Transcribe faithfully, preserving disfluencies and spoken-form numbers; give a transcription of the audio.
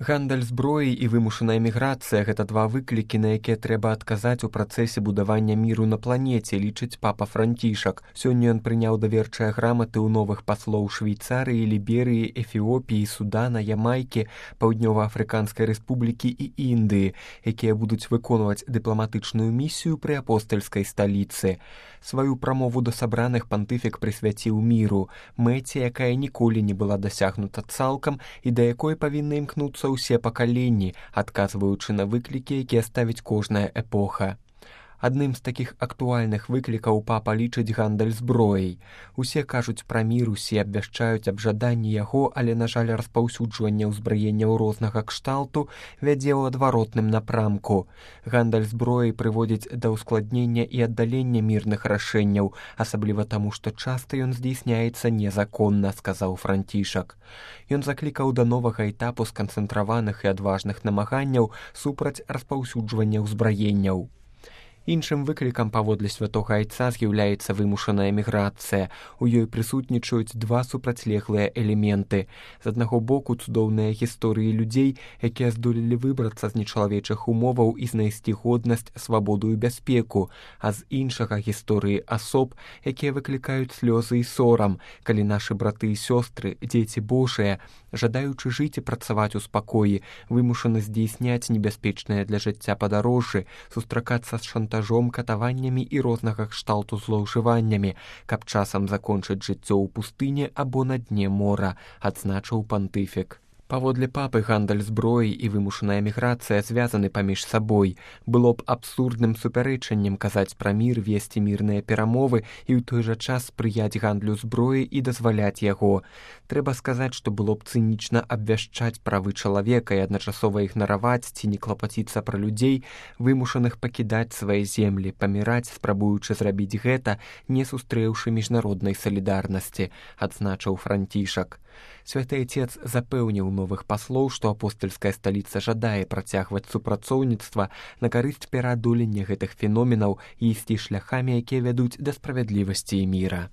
Гандаль зброяй і вымушаная міграцыя – гэта два выклікі, на якія трэба адказаць у працэсе будавання міру на планеце, лічыць папа Францішак. Сёння ён прыняў даверчыя граматы ў новых паслоў Швейцарыі, Ліберыі, Эфіопіі, Судана, Ямайкі, Паўднёва-Афрыканскай Рэспублікі і Індыі, якія будуць выконваць дыпламатычную місію пры апостальскай сталіцы. Сваю прамову да сабраных пантыфік прысвяціў міру, мэце, якая ніколі не была дасягнута цалкам і да якой павінны імкнуцца ўсе пакаленні, адказваючы на выклікі, якія ставіць кожная эпоха. Адным з такіх актуальных выклікаў папа лічыць гандаль зброяй. Усе кажуць пра мір, усе абвяшчаюць аб жаданні яго, але, на жаль, распаўсюджванне ўзбраення рознага кшталту вядзе ў адваротным напрамку. Гандаль зброяй прыводзіць да ўскладнення і аддалення мірных рашэнняў, асабліва таму, што часта ён здзейсняецца незаконна, сказаў Францішак. Ён заклікаў да новага этапу сканцэнтраваных і адважных намаганняў супраць распаўсюджвання ўзбраенняў. Іншым выклікам паводле святога айца з'яўляецца вымушаная міграцыя. У ёй прысутнічаюць два супрацьлеглыя элементы. З аднаго боку цудоўныя гісторыі людзей, якія здолелі выбрацца з нечалавечых умоваў і знайсці годнасць, свабоду і бяспеку, а з іншага гісторыі асоб, якія выклікаюць слёзы і сорам, калі нашы браты і сёстры, дзеці Божыя, жадаючы жыць і працаваць у спакоі, вымушаны здзейсняць небяспечныя для жыцця падарожжы, сустракацца з шантажом, катаваннямі і рознага кшталту злоўжываннямі, каб часам закончыць жыццё ў пустыне або на дне мора, адзначыў пантыфік. Паводле папы гандаль зброяй і вымушаная міграцыя звязаны паміж сабой. Было б абсурдным супярэчаннем казаць пра мір, весці мірныя перамовы і ў той жа час спрыяць гандлю зброі і дазваляць яго. Трэба сказаць, што было б цынічна абвяшчаць правы чалавека і адначасова ігнараваць ці не клапаціцца пра людзей, вымушаных пакідаць свае землі, паміраць, спрабуючы зрабіць гэта, не сустрэўшы міжнароднай салідарнасці, адзначыў Францішак. Святы Айцец запэўніў новых паслоў, што апостальская сталіца жадае працягваць супрацоўніцтва на карысць пераадолення гэтых феноменаў і ісці шляхамі, якія вядуць да справядлівасці і міра.